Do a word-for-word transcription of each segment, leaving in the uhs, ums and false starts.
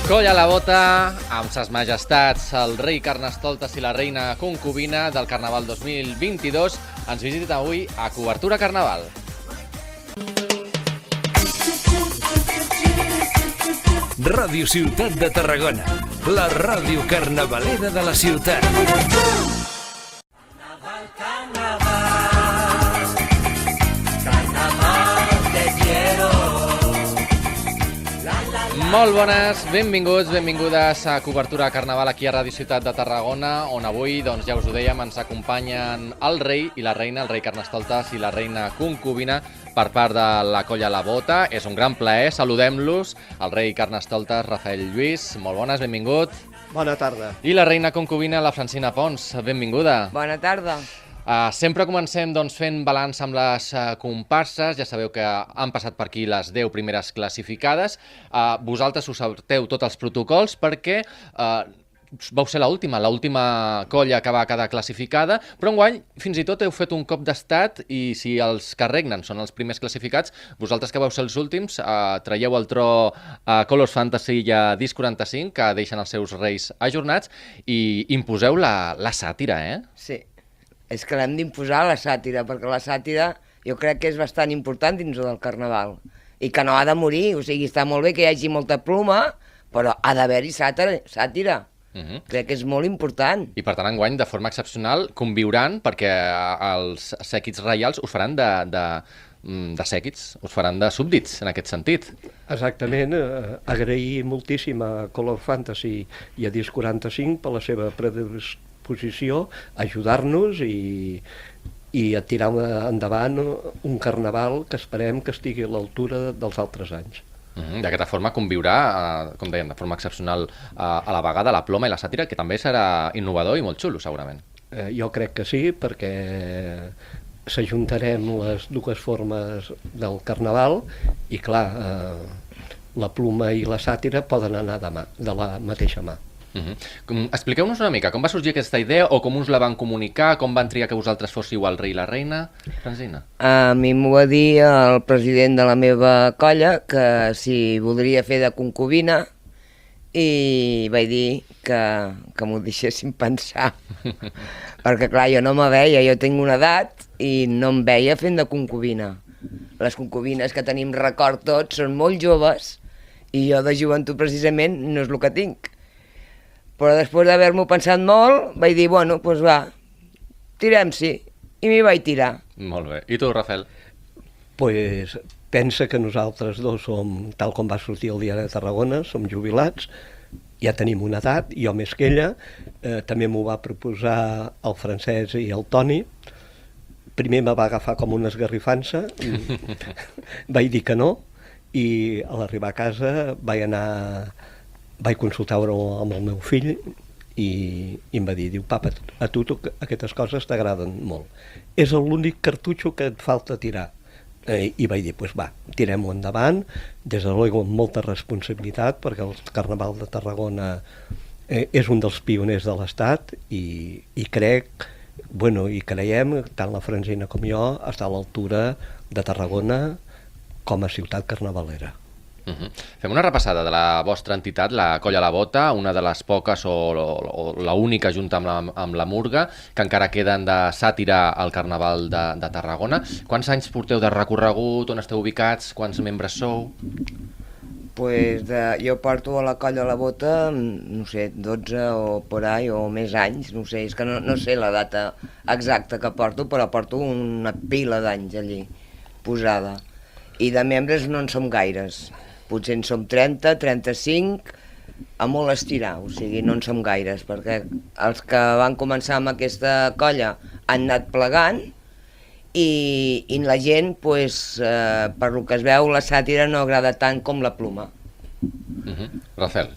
Colla a la bota, amb ses majestats, el rei Carnestoltes i la reina concubina del Carnaval dos mil vint-i-dos, ens visita avui a Cobertura Carnaval. Ràdio Ciutat de Tarragona, la ràdio carnavalera de la ciutat. Carnaval, carnaval, carnaval te quiero. Molt bones, benvinguts, benvingudes a Cobertura Carnaval aquí a Ràdio Ciutat de Tarragona, on avui, doncs ja us ho dèiem, ens acompanyen el rei i la reina, el rei Carnestoltes i la reina concubina, per part de la Colla a la Bota. És un gran plaer, saludem-los, el rei Carnestoltes, Rafael Lluís, molt bones, benvingut. Bona tarda. I la reina concubina, la Francina Pons, benvinguda. Bona tarda. Uh, sempre comencem doncs, fent balanç amb les uh, comparses. Ja sabeu que han passat per aquí les deu primeres classificades. Uh, vosaltres us salteu tots els protocols perquè uh, vau ser l'última, l'última colla que va quedar classificada, però enguany fins i tot heu fet un cop d'estat i si els que regnen són els primers classificats, vosaltres que vau ser els últims, uh, traieu el tro a Colors Fantasy i a Disc quaranta-cinc, que deixen els seus reis ajornats, i imposeu la, la sàtira, eh? Sí, és que l'hem d'imposar la sàtira, perquè la sàtira jo crec que és bastant important dins del Carnaval i que no ha de morir, o sigui, està molt bé que hi hagi molta ploma, però ha d'haver-hi sàtira, sàtira. Uh -huh. Crec que és molt important. I per tant, enguany, de forma excepcional, conviuran, perquè els sèquits reials us faran de, de, de sèquits, us faran de súbdits, en aquest sentit. Exactament. Eh, agrair moltíssim a Color Fantasy i a Disc quaranta-cinc per la seva predisposició, ajudar-nos i, i a tirar endavant un carnaval que esperem que estigui a l'altura dels altres anys. Uh-huh. D'aquesta forma conviurà, uh, com dèiem, de forma excepcional uh, a la vegada la ploma i la sàtira, que també serà innovador i molt xulo, segurament. Eh, jo crec que sí, perquè s'ajuntarem les dues formes del carnaval i, clar, eh, la ploma i la sàtira poden anar de, mà, de la mateixa mà. Uh-huh. Expliqueu-nos una mica, com va sorgir aquesta idea o com us la van comunicar, com van triar que vosaltres fóssiu el rei i la reina? Francina? A mi m'ho va dir el president de la meva colla que si voldria fer de concubina i vaig dir que, que m'ho deixessin pensar perquè clar, jo no me veia, jo tinc una edat i no em veia fent de concubina. Les concubines que tenim record tots són molt joves i jo de joventut precisament no és el que tinc. Però després d'haver-m'ho pensat molt, vaig dir, bueno, doncs va, tirem-s'hi. I m'hi vaig tirar. Molt bé. I tu, Rafael? Pues pensa que nosaltres dos som, tal com va sortir el Diari de Tarragona, som jubilats, ja tenim una edat, jo més que ella, eh, també m'ho va proposar el Francesc i el Toni. Primer me va agafar com una esgarrifança, vaig dir que no, i a l'arribar a casa vaig anar... vaig consultar-ho amb el meu fill i, i em va dir, diu, papa, a tu, tu aquestes coses t'agraden molt. És l'únic cartutxo que et falta tirar. Eh, I vaig dir, doncs pues va, tirem-ho endavant, des de luego amb molta responsabilitat, perquè el Carnaval de Tarragona eh, és un dels pioners de l'Estat i, i crec, bueno, i creiem, tant la Francina com jo, està a l'altura de Tarragona com a ciutat carnavalera. Uh-huh. Fem una repassada de la vostra entitat, la Colla a la Bota, una de les poques o, o, o la única junta amb la, amb la Murga, que encara queden de sàtira al Carnaval de, de Tarragona. Quants anys porteu de recorregut, on esteu ubicats, quants membres sou? Pues de, jo porto a la Colla a la Bota, no sé, dotze o por ahí, o més anys, no sé, és que no, no sé la data exacta que porto, però porto una pila d'anys allí, posada. I de membres no en som gaires. Potser en som trenta, trenta-cinc, a molt estirar, o sigui, no en som gaires, perquè els que van començar amb aquesta colla han anat plegant i, i la gent, pues, eh, per lo que es veu, la sàtira no agrada tant com la ploma. Uh-huh. Rafael?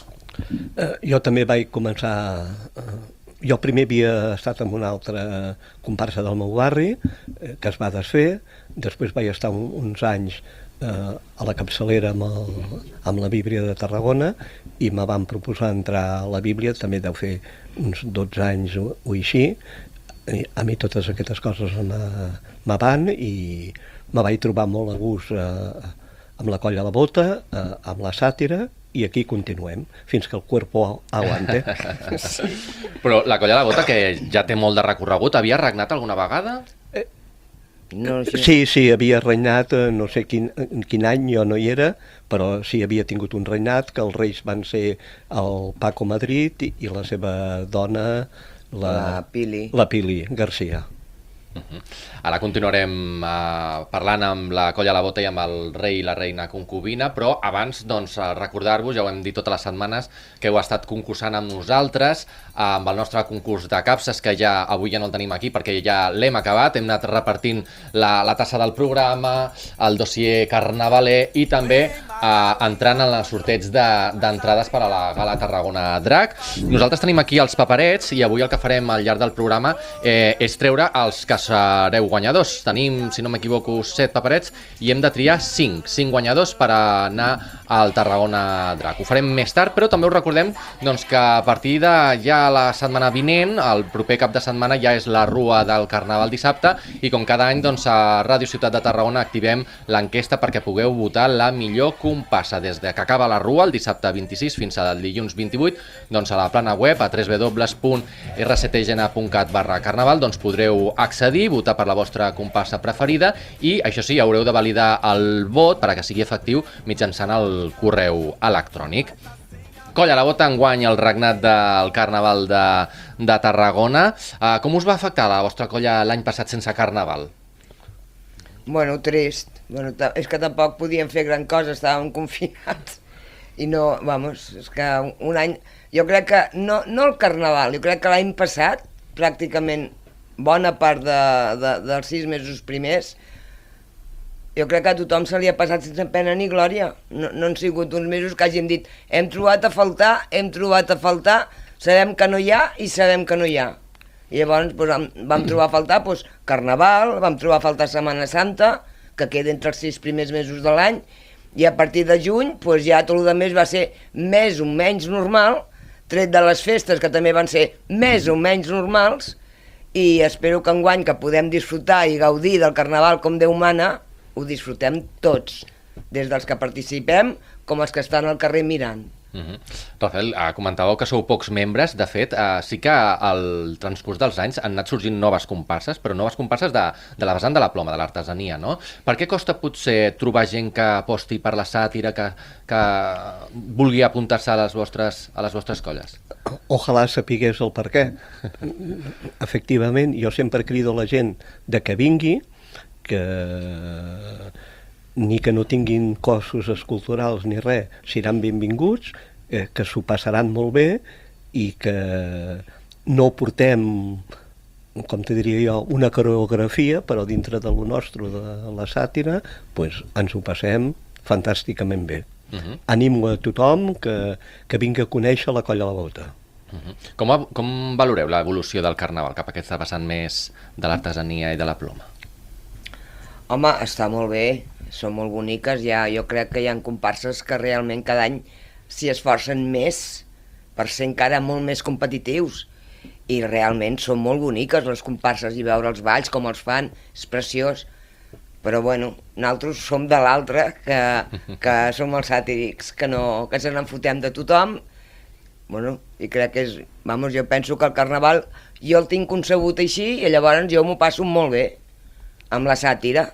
Eh, jo també vaig començar... Eh, jo primer havia estat en una altra comparsa del meu barri, eh, que es va desfer, després vaig estar un, uns anys eh, a la capçalera amb, el, amb la Bíblia de Tarragona i me van proposar entrar a la Bíblia, també deu fer uns dotze anys o, o així. a mi totes aquestes coses me van i me vaig trobar molt a gust eh, amb la colla a la bota, eh, amb la sàtira, i aquí continuem, fins que el cuerpo aguante. Sí. Però la colla a la bota, que ja té molt de recorregut, havia regnat alguna vegada? No, sí. Sí, sí, havia regnat, no sé quin, quin any, jo no hi era, però sí, havia tingut un regnat, que els reis van ser el Paco Madrid i, i la seva dona, la, La Pili. La Pili Garcia. Uh-huh. Ara continuarem uh, parlant amb la colla a la bota i amb el rei i la reina concubina, però abans doncs, recordar-vos, ja ho hem dit totes les setmanes, que heu estat concursant amb nosaltres uh, amb el nostre concurs de capses, que ja avui ja no el tenim aquí perquè ja l'hem acabat, hem anat repartint la, la tassa del programa, el dossier carnavaler i també uh, entrant en els sorteig d'entrades de, per a la Gala Tarragona Drac. Nosaltres tenim aquí els paperets i avui el que farem al llarg del programa eh, és treure els que sereu guanyadors. Tenim, si no m'equivoco, set paperets i hem de triar cinc, cinc guanyadors per anar al Tarragona Drac. Ho farem més tard, però també us recordem doncs, que a partir de ja la setmana vinent, el proper cap de setmana ja és la Rua del Carnaval dissabte i com cada any doncs, a Ràdio Ciutat de Tarragona activem l'enquesta perquè pugueu votar la millor comparsa. Des de que acaba la Rua, el dissabte vint-i-sis fins al dilluns vint-i-vuit, doncs a la plana web a w w w punt r c t g n punt cat barra carnaval doncs podreu accedir, votar per la vostra comparsa preferida i, això sí, haureu de validar el vot perquè sigui efectiu mitjançant el correu electrònic. Colla a la bota, enguany el regnat del Carnaval de, de Tarragona. Uh, com us va afectar la vostra colla l'any passat sense Carnaval? Bueno, trist. Bueno, és que tampoc podíem fer gran cosa, estàvem confinats. I no, vamos, és que un any... Jo crec que, no, no el Carnaval, jo crec que l'any passat, pràcticament bona part de, de, dels sis mesos primers, jo crec que a tothom se li ha passat sense pena ni glòria. No, no han sigut uns mesos que hàgim dit hem trobat a faltar, hem trobat a faltar, sabem que no hi ha i sabem que no hi ha. I llavors doncs, vam, vam trobar a faltar doncs, Carnaval, vam trobar a faltar Setmana Santa, que queda entre els sis primers mesos de l'any, i a partir de juny doncs, ja tot el més va ser més o menys normal, tret de les festes que també van ser més o menys normals, i espero que enguany que podem disfrutar i gaudir del Carnaval com Déu mana, ho disfrutem tots, des dels que participem com els que estan al carrer mirant. Uh-huh. Rafael, uh, comentàveu que sou pocs membres, de fet, uh, sí que al transcurs dels anys han anat sorgint noves comparses, però noves comparses de, de la vessant de la ploma, de l'artesania, no? Per què costa potser trobar gent que aposti per la sàtira, que, que vulgui apuntar-se a les vostres, a les vostres colles? Ojalà sapigués el per què. Efectivament, jo sempre crido a la gent de que vingui, que ni que no tinguin cossos esculturals ni res, seran benvinguts, eh, que s'ho passaran molt bé i que no portem, com te diria jo, una coreografia, però dintre de lo nostre, de la sàtira, pues, ens ho passem fantàsticament bé. Uh-huh. Animo a tothom que, que vingui a conèixer la Colla a la Bota. Uh-huh. Com, a, com valoreu l'evolució del Carnaval cap a aquesta vessant més de l'artesania i de la ploma? Home, està molt bé, són molt boniques, ja, jo crec que hi ha comparses que realment cada any s'hi esforcen més per ser encara molt més competitius i realment són molt boniques les comparses i veure els balls com els fan, és preciós, però bueno, nosaltres som de l'altre, que, que som els sàtirics, que, no, que se n'enfotem de tothom, bueno, i crec que és, vamos, jo penso que el Carnaval jo el tinc concebut així i llavors jo m'ho passo molt bé amb la sàtira.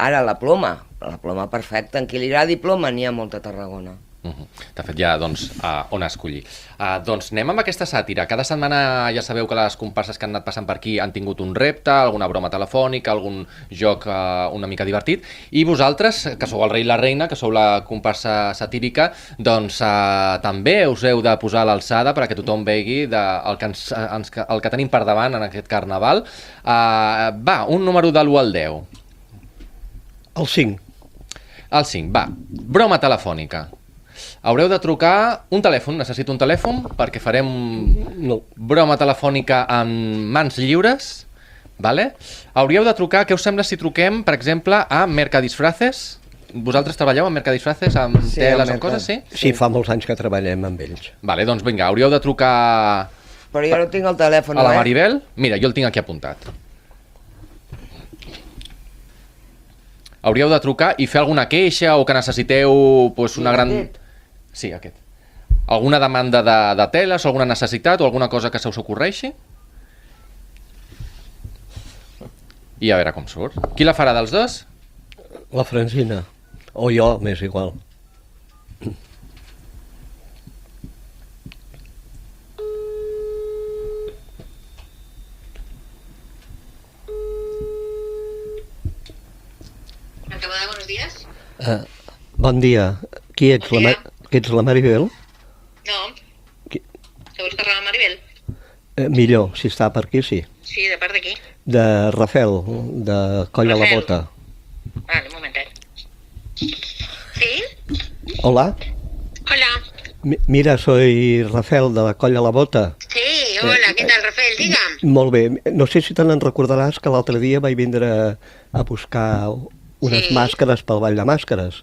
Ara la ploma, la ploma perfecta, en qui li agradi ploma n'hi ha molta a Tarragona. Uh-huh. De fet, ja, doncs, uh, on escollir. Uh, doncs anem amb aquesta sàtira. Cada setmana ja sabeu que les comparses que han anat passant per aquí han tingut un repte, alguna broma telefònica, algun joc uh, una mica divertit, i vosaltres, que sou el rei i la reina, que sou la comparsa satírica, doncs uh, també us heu de posar a l'alçada perquè tothom vegi de, el, que ens, ens, el que tenim per davant en aquest Carnaval. Uh, va, un número de l'u al deu. El cinc. El cinc, va. Broma telefònica. Haureu de trucar un telèfon, necessito un telèfon, perquè farem no. broma telefònica amb mans lliures, vale? Hauríeu de trucar, què us sembla si truquem, per exemple, a Mercadisfraces? Vosaltres treballeu amb Mercadisfraces, amb sí, teles, amb amb coses, sí? Sí, fa molts anys que treballem amb ells. Vale, doncs vinga, hauríeu de trucar Però jo no tinc el telèfon, A la eh? Maribel? Mira, jo el tinc aquí apuntat. Hauríeu de trucar i fer alguna queixa o que necessiteu pues, una gran... Aquest? Sí, aquest. Alguna demanda de, de teles o alguna necessitat o alguna cosa que se us ocorreixi? I a veure com surt. Qui la farà dels dos? La Francina. O jo, m'és igual. Acabada, buenos días. Uh, bon dia. Qui ets, Bon la, dia. Ma qui ets la Maribel? No, Qui... que busca la Maribel. Eh, millor, si està per aquí, sí. Sí, de part d'aquí. De Rafel, de Coll a la Rafel. Bota. Vale, un momentet. ¿Sí? Hola, Hola. Mi- mira, soy Rafel de la Coll a la Bota. Sí, hola, Eh, ¿qué tal, Rafael? Digue'm. Molt bé, no sé si te n'en recordaràs que l'altre dia vaig vindre a, a buscar unes Sí. màscares pel Ball de Màscares.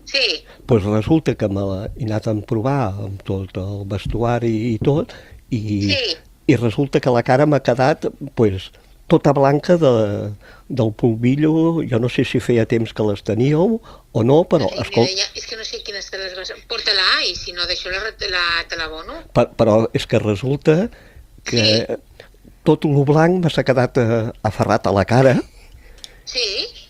Sí, Doncs pues resulta que me l'he anat a provar amb tot el vestuari i tot, i, Sí. i resulta que la cara m'ha quedat pues, tota blanca de, del polvillo. Jo no sé si feia temps que les teníeu o no, però Ay, escolta, mira, ya, es que no sé quién te las vas a... Pórtala y si no, deixo la, la, te l'abono. per, però és que resulta que Sí. tot el blanc m'ha quedat eh, aferrat a la cara Sí,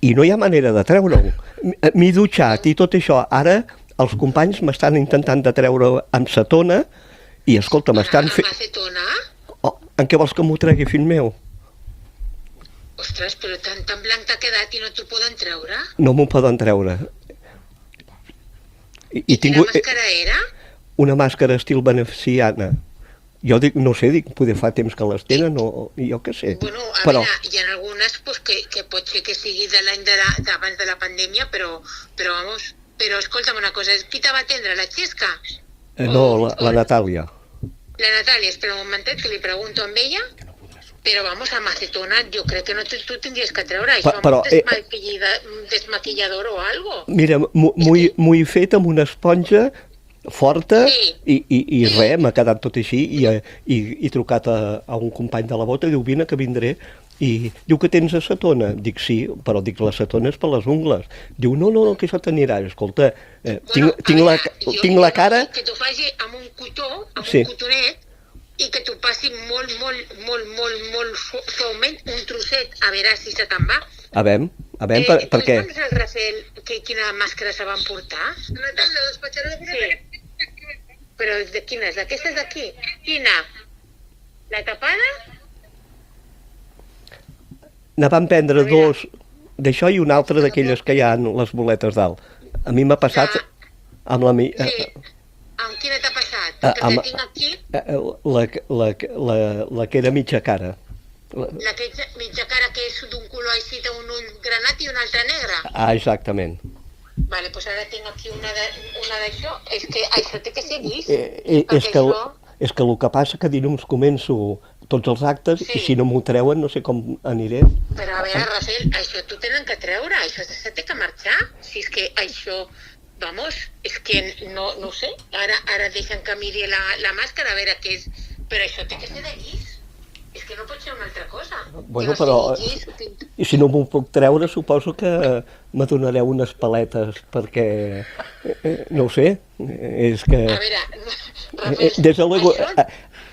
i no hi ha manera de treure-ho. M- M'he dutxat i tot això. Ara els companys m'estan intentant de treure amb cetona i, escolta, m'estan Amb fent... acetona. Oh, en què vols que m'ho tregui, fill meu? Ostres, però tan, tan blanc t'ha quedat i no t'ho poden treure? No m'ho poden treure. I, i Quina tinc màscara era? una màscara estil veneciana. Jo dic, no sé, dic, poder fa temps que les tenen o jo què sé. Bueno, a Però, veure, hi ha algunes pues, que, que pot ser que sigui de l'any de la- d'abans de la pandèmia, però, però vamos, però escolta'm una cosa, qui te va atendre, la Xesca? eh, no, la, la Natàlia. La Natàlia, espera un momentet que li pregunto amb ella, però vamos, amb acetona jo crec que no te, tu tindries que treure això, Pa- però, amb un eh, desmaquillida, un desmaquillador o algo. Mira, m'ho m'ho he- m'ho he fet amb una esponja forta Sí. i, i, i res, m'ha quedat tot així i, eh, i, i he trucat a, a un company de la Bota i diu, vine que vindré, i diu que tens acetona. Dic, sí, però dic, l'acetona és per les ungles. Diu, no, no, no, que això t'anirà. Escolta, eh, tinc, a tinc, la, veure, jo- tinc la jo cara... Que t'ho faci amb un cotó, amb Sí. un cotonet, i que t'ho passi molt, molt, molt, molt, molt su- suaument, un trosset, a veure si se te'n va. A veure, a veure, per, per què? Doncs el Rafael, que, quina màscara se van portar? La de la despatxadora de sí. Però de quina és? Aquesta és d'aquí? Quina? La tapada? Ne van prendre A veure. dos d'això i una altra d'aquelles que hi ha en les boletes dalt. A mi m'ha passat Ah. amb la... mi- Sí. eh, Amb quina t'ha passat? Ah, Perquè amb- tinc aquí eh, la, la, la, la que era mitja cara. La, la que és mitja cara, que és d'un color així, té un ull granat i un altre negre. ah, exactament. Vale, doncs ara tinc aquí una de- una d'això. És que això té que ser llis. Eh, eh, és, perquè que, això- és que el que passa que dilluns començo tots els actes Sí. i si no m'ho treuen no sé com aniré. Però a veure, Rafael, això t'ho tenen que treure, això se té que marxar. Si és que això, vamos, és que no, no ho sé, ara, ara deixen que miri la, la màscara a veure què és, però això té que ser de llis. És que no pot ser una altra cosa. Bueno, que no però- sigui llis, que- I si no m'ho puc treure suposo que me donareu unes paletes perquè, eh, eh, no ho sé, eh, és que... A veure, Eh, Rafael, Des de luego, això- a,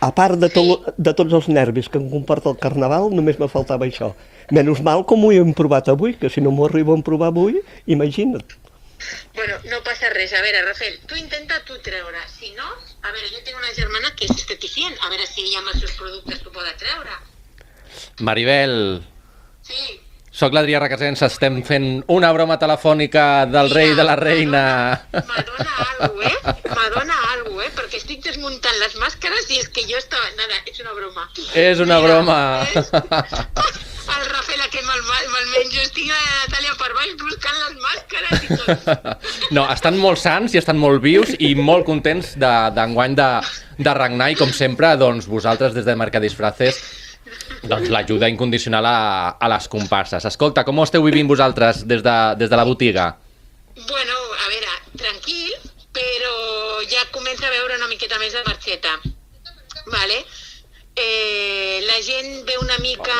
a part de, to, de tots els nervis que em comporta el carnaval, només me faltava això. Menys mal com ho hem provat avui, que si no m'ho arribo a provar avui, imagina't. Bueno, no passa res. A veure, Rafael, tu intenta tu treure. Si no, a veure, jo tinc una germana que és esteticient, a veure si ella amb els seus productes t'ho poden treure. Maribel, Sí. sóc l'Adrià Requesens, estem fent una broma telefònica del rei i de la reina. M'adona algo, eh? M'adona algo, eh? Perquè estic desmuntant les màscares i és que jo estava... Nada, és una broma. És una Mira, broma. és- El Rafael, que me'l me menjo. Estic a la Natàlia per baix buscant les màscares i tot. No, estan molt sants i estan molt vius i molt contents de- d'enguany de, de regnar i, com sempre, doncs, vosaltres des de Mercadisfraces, doncs, l'ajuda incondicional a, a les comparses. Escolta, com ho esteu vivint vosaltres des de, des de la botiga? Bueno, a veure, tranquil, però ja comença a veure una miqueta més de marxeta. Vale? eh, la gent ve una mica,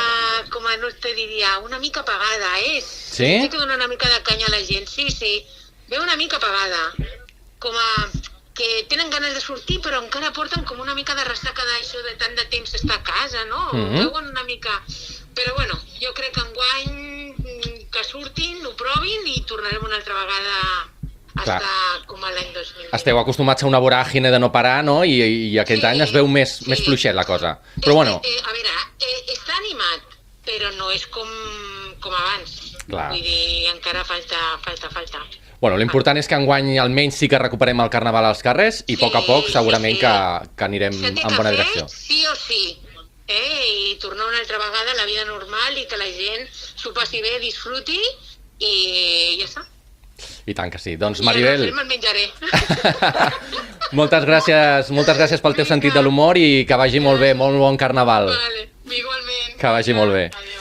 com a no te diria, una mica apagada, eh? Sí? Sí que dona una mica de canya a la gent, sí, sí. Ve una mica apagada, com a que tenen ganes de sortir però encara porten com una mica de ressaca d'això de tant de temps estar a casa, no? Mhm. Veuen una mica... Però bueno, jo crec que enguany mm, que surtin, ho provin i tornarem una altra vegada a Clar. estar com a l'any dos mil vint. Esteu acostumats a una voràgine de no parar, no? I, i aquest Sí, any es veu més, sí. més fluixet la cosa. Però bueno, Eh, eh, a veure, eh, està animat, però no és com, com abans. Clar. Vull dir, encara falta, falta, falta. bueno l'important és que enguany almenys sí que recuperem el carnaval als carrers i a poc a poc segurament sí. que, que anirem S'ha de en bona fer direcció. sí o sí, eh? I tornar una altra vegada a la vida normal i que la gent s'ho passi bé, disfruti i ja està. I tant que sí. Doncs I Maribel, ara me'l menjaré. moltes gràcies, moltes gràcies pel teu Vinga. sentit de l'humor i que vagi molt bé, molt bon carnaval. Vale, igualment. Que vagi molt bé. Adéu, adéu, adéu.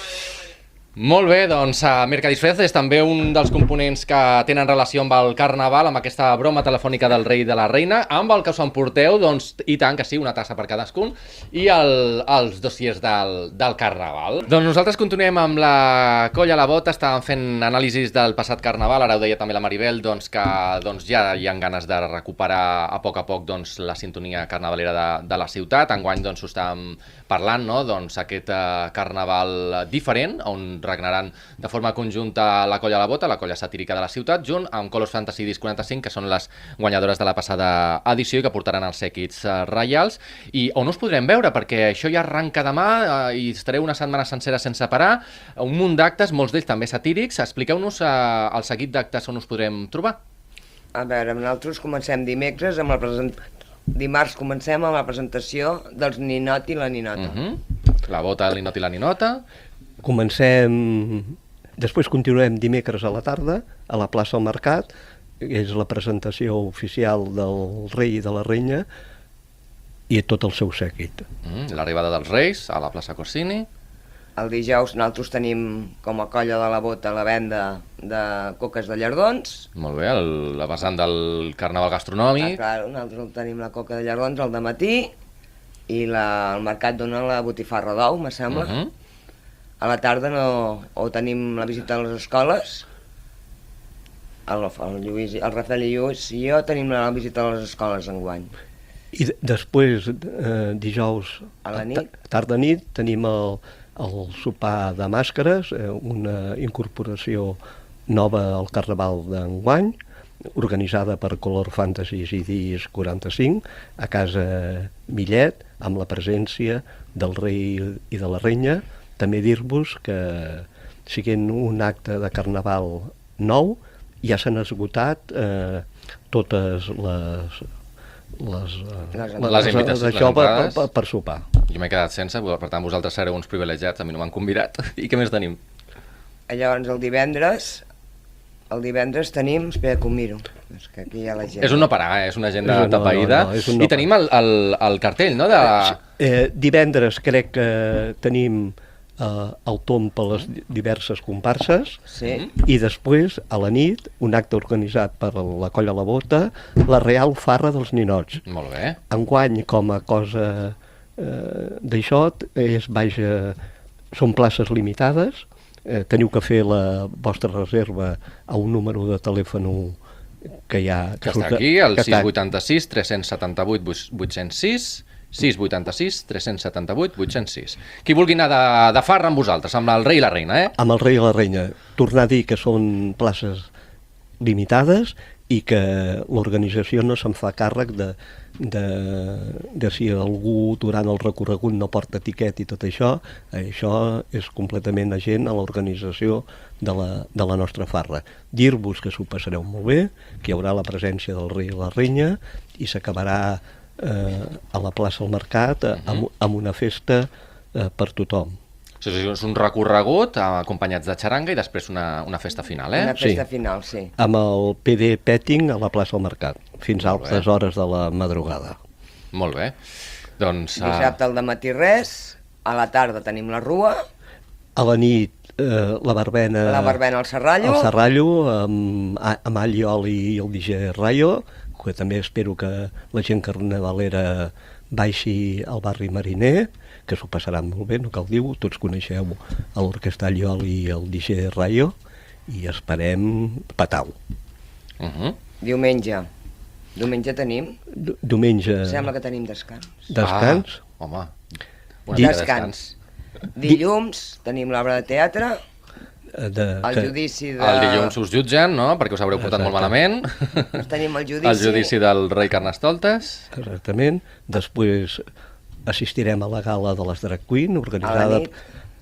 Molt bé, doncs uh, Mercadisfrez és també un dels components que tenen relació amb el carnaval, amb aquesta broma telefònica del rei i de la reina, amb el que us emporteu, doncs, i tant que sí, una tassa per cadascun, i el, els dossiers del, del carnaval. Doncs nosaltres continuem amb la colla a la bota, estàvem fent anàlisis del passat carnaval, ara ho deia també la Maribel, doncs que doncs, ja hi ha ganes de recuperar a poc a poc doncs, la sintonia carnavalera de, de la ciutat. Enguany doncs, ho estàvem parlant, no? Doncs, aquest uh, carnaval diferent, on regnaran de forma conjunta la colla a la bota, la colla satírica de la ciutat, junt amb Colors Fantasy Disc quaranta-cinc, que són les guanyadores de la passada edició i que portaran els sèquits uh, reials. I on us podrem veure? Perquè això ja arranca demà uh, i estareu una setmana sencera sense parar, un munt d'actes, molts d'ells també satírics. Expliqueu-nos uh, el seguit d'actes on us podrem trobar. A veure, nosaltres comencem dimecres amb la presentació. Dimarts comencem amb la presentació dels Ninot i la Ninota. Uh -huh. La bota, el ninot i la ninota. Comencem... Després continuem dimecres a la tarda, a la plaça del Mercat, és la presentació oficial del rei i de la reina i tot el seu sèquit. Mm, L'arribada dels Reis a la plaça Corsini. El dijous nosaltres tenim com a colla de la bota la venda de coques de llardons. Molt bé, el, la vessant del carnaval Ah, gastronòmic. clar, nosaltres tenim la coca de llardons al dematí i la, el mercat dona la botifarra d'ou, me sembla. Uh -huh. A la tarda no, o tenim la visita a les escoles, el, el, Lluís, el Rafael i Lluís i jo tenim la visita a les escoles enguany. I de- després, eh, dijous A la nit? tarda nit, tenim el, el sopar de màscares, eh, una incorporació nova al carnaval d'enguany, organitzada per Color Fantasy i Disc quaranta-cinc, a casa Millet, amb la presència del rei i de la reina. També dir-vos que, siguent un acte de carnaval nou, ja s'han esgotat eh, totes les les, Les- les invitacions, les d'això per, per, entrades. per, per sopar. Jo m'he quedat sense, per tant vosaltres sereu uns privilegiats, a mi no m'han convidat. I què més tenim? Llavors el divendres, el divendres tenim, espera que ho miro, és que aquí hi ha la gent. És un no parar, eh? És una agenda És un no, tapaïda. no, no, és un no I tenim el, el, el cartell, no? De... Eh, divendres crec que tenim eh, el tomb per les diverses comparses, Sí, i després, a la nit, un acte organitzat per la Colla La Bota, la Real Farra dels Ninots. Molt bé. Enguany, com a cosa eh, d'això, és, vaja, són places limitades, eh, teniu que fer la vostra reserva a un número de telèfon que hi ha... Que surt- està aquí, el que sis està- vuit sis, tres setanta vuit, vuit zero sis, sis vuit sis, tres setanta vuit, vuit zero sis. Qui vulgui anar de, de farra amb vosaltres, amb el rei i la reina, eh? Amb el rei i la reina. Tornar a dir que són places limitades i que l'organització no se'n fa càrrec de, de, de si algú durant el recorregut no porta etiquet i tot això. Això és completament agent a l'organització de la, de la nostra farra. Dir-vos que s'ho passareu molt bé, que hi haurà la presència del rei i la reina i s'acabarà eh, a la plaça del Mercat eh, amb, amb una festa eh, per tothom. O sigui, és un recorregut eh, acompanyats de xaranga i després una, una festa final, eh? una festa Sí. final, sí. Amb el P D Petting a la plaça del Mercat, fins a Molt bé. altes hores de la madrugada. Molt bé. Doncs... eh, Dissabte al dematí res, a la tarda tenim la rua, A la nit, eh, la verbena... la verbena al Serrallo, al Serrallo, amb, amb Allioli i el D J Rayo, que també espero que la gent carnavalera baixi al barri Mariner, que s'ho passaran molt bé, no cal dir-ho, tots coneixeu l'Orquestra Alliol i el D J Rayo, i esperem patau. Uh -huh. Diumenge. Diumenge tenim? D Diumenge... Sembla que tenim descans. Descans? Ah, home, una mica de Descans. Dilluns tenim l'obra de teatre, De, el que, judici de... El dilluns us jutgen, no?, perquè us haureu portat Exacte. molt malament. Tenim el judici... El judici del rei Carnestoltes. exactament. Després assistirem a la gala de les Drag Queen, A organitzada, la nit.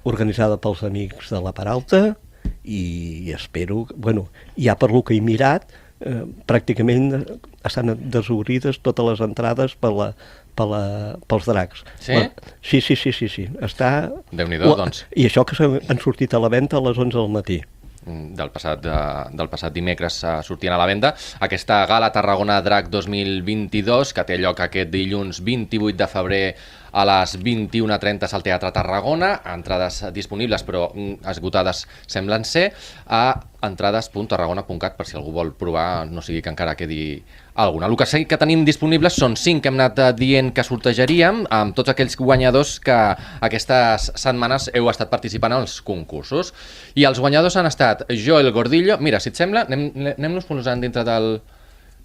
organitzada pels amics de la Peralta, i espero... Bueno, ja per lo que he mirat, eh, pràcticament estan desobrides totes les entrades per la, per la, pels dracs. Sí? La, sí, sí, sí, sí, sí. Està... Déu-n'hi-do, doncs. I això que s'han- han sortit a la venda a les onze del matí. Del passat, de, del passat dimecres uh, sortien a la venda aquesta gala Tarragona Drac dos mil vint-i-dos, que té lloc aquest dilluns vint-i-vuit de febrer a les vint-i-una trenta al Teatre Tarragona. Entrades disponibles, però mm, esgotades semblen ser, a entrades punt tarragona punt cat, per si algú vol provar, no sigui que encara quedi alguna. El que sí que tenim disponibles són cinc que hem anat eh, dient que sortejaríem, amb tots aquells guanyadors que aquestes setmanes heu estat participant als concursos. I els guanyadors han estat Joel Gordillo, mira, si et sembla, anem- anem-nos posant dintre del...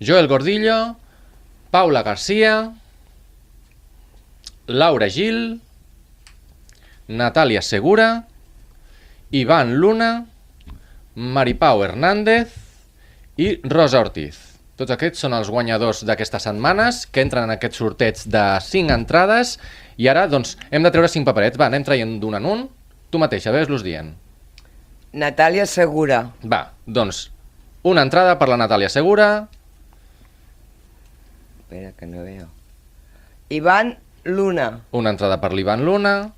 Joel Gordillo, Paula Garcia, Laura Gil, Natàlia Segura, Ivan Luna, Maripau Hernández i Rosa Ortiz. Tots aquests són els guanyadors d'aquestes setmanes que entren en aquest sorteig de cinc entrades i ara doncs hem de treure cinc paperets. Va, anem traient d'un en un. Tu mateixa, ves-los dient. Natàlia Segura. Va, doncs una entrada per la Natàlia Segura, Espera, que no veo. Ivan Luna. una entrada per l'Ivan Luna,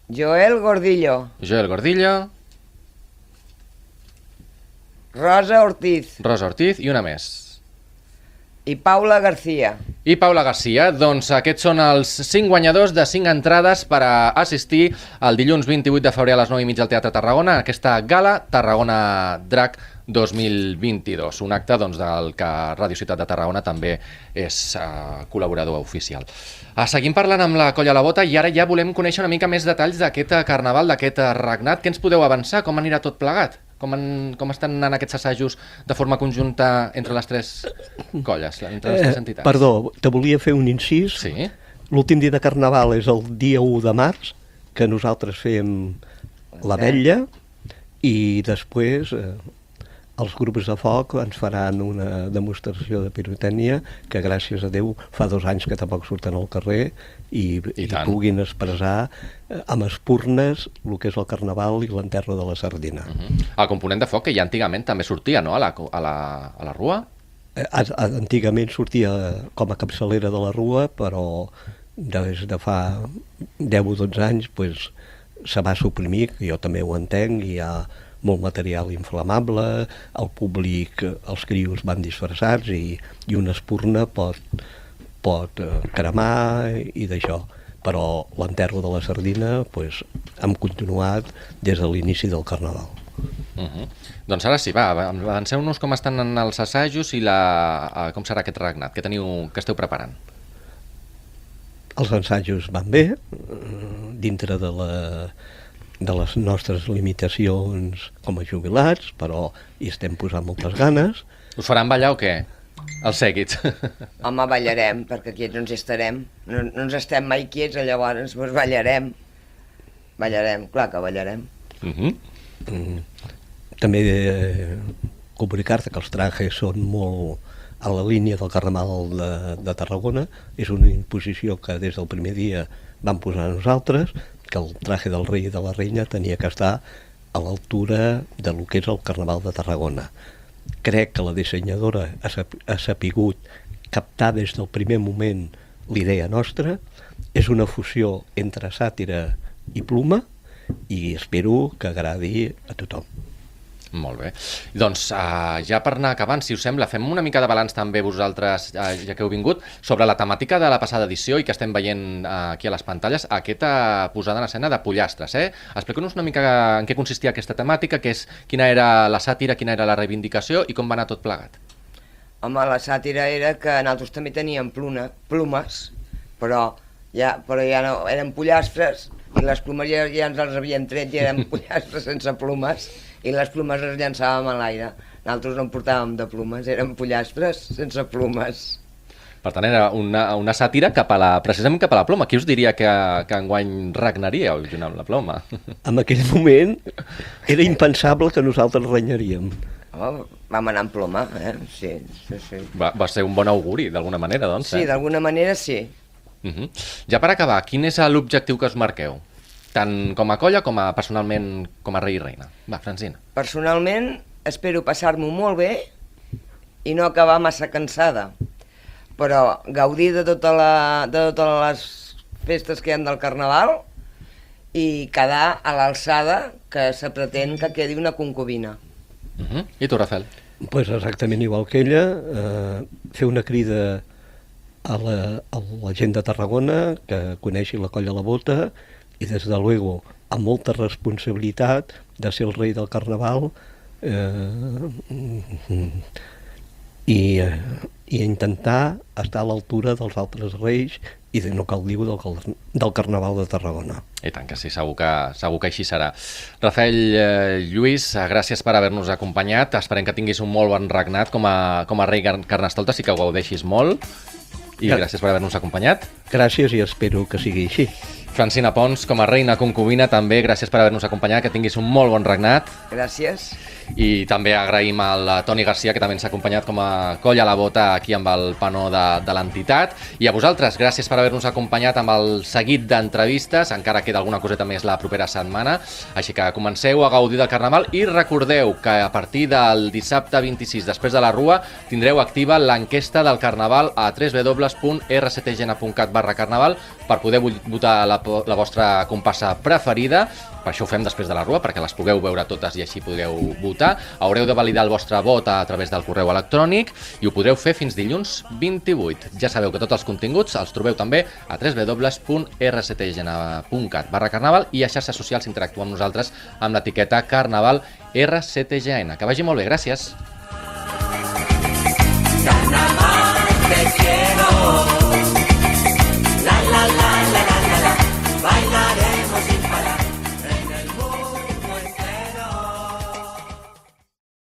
Joel Gordillo. Joel Gordillo, Rosa Ortiz. Rosa Ortiz i una més. I Paula García. I Paula Garcia, doncs aquests són els cinc guanyadors de cinc entrades per a assistir el dilluns vint-i-vuit de febrer a les nou i mitja al Teatre Tarragona a aquesta gala Tarragona Drac dos mil vint-i-dos, un acte doncs, del que Ràdio Ciutat de Tarragona també és uh, col·laborador oficial. Uh, seguim parlant amb la Colla a la Bota i ara ja volem conèixer una mica més detalls d'aquest carnaval, d'aquest regnat. Què ens podeu avançar? Com anirà tot plegat? Com, en, com estan anant aquests assajos de forma conjunta entre les tres colles, entre les tres entitats? Eh, perdó, te volia fer un incís. Sí? L'últim dia de Carnaval és el dia u de març, que nosaltres fem la vetlla, i després eh, els grups de foc ens faran una demostració de pirotècnia que, gràcies a Déu, fa dos anys que tampoc surten al carrer i, I i tant. puguin expressar eh, amb espurnes el que és el Carnaval i l'enterro de la sardina. Uh -huh. El component de foc que ja antigament també sortia, no?, a la, a la, a la rua? Eh, Antigament sortia com a capçalera de la rua, però des de fa deu o dotze anys pues, se va suprimir, que jo també ho entenc, i hi ha molt material inflamable, el públic, els crios van disfressats i, i una espurna pot, pot eh, cremar i d'això. Però l'enterro de la sardina pues, hem continuat des de l'inici del Carnaval. Uh -huh. Doncs ara sí, va, avanceu-nos com estan en els assajos i la, com serà aquest regnat, que, teniu, que esteu preparant. Els ensajos van bé, dintre de, la, de les nostres limitacions com a jubilats, però hi estem posant moltes ganes. Us faran ballar o què? Els sèquits. Home, ballarem, perquè quiets no ens estarem. No, no ens estem mai quiets, llavors doncs ballarem. Ballarem, clar que ballarem. Uh -huh. Mm. També eh, comunicar-te que els trajes són molt a la línia del Carnaval de, de Tarragona. És una imposició que des del primer dia vam posar nosaltres, que el traje del rei i de la reina tenia que estar a l'altura de lo que és el Carnaval de Tarragona. Crec que la dissenyadora ha, sap, ha sapigut captar des del primer moment l'idea nostra. És una fusió entre sàtira i pluma i espero que agradi a tothom. Molt bé. Doncs uh, ja per anar acabant, si us sembla, fem una mica de balanç també vosaltres, uh, ja que heu vingut, sobre la temàtica de la passada edició i que estem veient uh, aquí a les pantalles, aquesta posada en escena de pollastres. Eh? Expliqueu-nos una mica en què consistia aquesta temàtica, que és, quina era la sàtira, quina era la reivindicació i com va anar tot plegat. Home, la sàtira era que nosaltres també teníem pluna, plumes, però ja, però ja no, eren pollastres, i les plomes ja, ja ens els havíem tret i eren pollastres sense plomes, i les plomes les llançàvem a l'aire. Nosaltres no en portàvem de plomes, eren pollastres sense plomes. Per tant, era una, una sàtira cap a la, precisament cap a la ploma. Qui us diria que, que enguany regnaríeu junt amb la ploma? En aquell moment era impensable que nosaltres renyaríem. Oh, vam anar amb ploma, eh? Sí, sí, sí. Va, va ser un bon auguri, d'alguna manera, doncs. Sí, eh? d'alguna manera sí. Uh -huh. Ja per acabar, quin és l'objectiu que us marqueu? Tant com a colla com a personalment com a rei i reina. Va, Francina. Personalment, espero passar-m'ho molt bé i no acabar massa cansada, però gaudir de, tota la, de totes les festes que hi ha del Carnaval i quedar a l'alçada que se pretén que quedi una concubina. Uh -huh. I tu, Rafael? Pues exactament igual que ella, eh, fer una crida a la, a la gent de Tarragona que coneixi la Colla La Bota i, des de luego, amb molta responsabilitat de ser el rei del Carnaval eh, i, eh, i intentar estar a l'altura dels altres reis i de no cal dir del, del Carnaval de Tarragona. I tant que sí, segur que, segur que així serà. Rafael, eh, Lluís, gràcies per haver-nos acompanyat. Esperem que tinguis un molt bon regnat com a, com a rei Carnestoltes i que ho gaudeixis molt. I gràcies per haver-nos acompanyat. Gràcies i espero que sigui així. Francina Pons, com a reina concubina, també gràcies per haver-nos acompanyat, que tinguis un molt bon regnat. Gràcies. I també agraïm al Toni Garcia, que també ens ha acompanyat com a colla a la bota aquí amb el panó de, de l'entitat. I a vosaltres, gràcies per haver-nos acompanyat amb el seguit d'entrevistes. Encara queda alguna coseta més la propera setmana. Així que comenceu a gaudir del Carnaval i recordeu que a partir del dissabte vint-i-sis, després de la Rua, tindreu activa l'enquesta del Carnaval a w w w punt r c t g n punt cat barra carnaval per poder votar la, la vostra comparsa preferida. Per això ho fem després de la Rua, perquè les pugueu veure totes i així podeu votar. Haureu de validar el vostre vot a través del correu electrònic i ho podreu fer fins dilluns vint-i-vuit. Ja sabeu que tots els continguts els trobeu també a w w w punt r c t g n punt cat barra carnaval i a xarxes socials interactuar amb nosaltres amb l'etiqueta Carnaval R C T G N. Que vagi molt bé, gràcies. Carnaval, te quiero.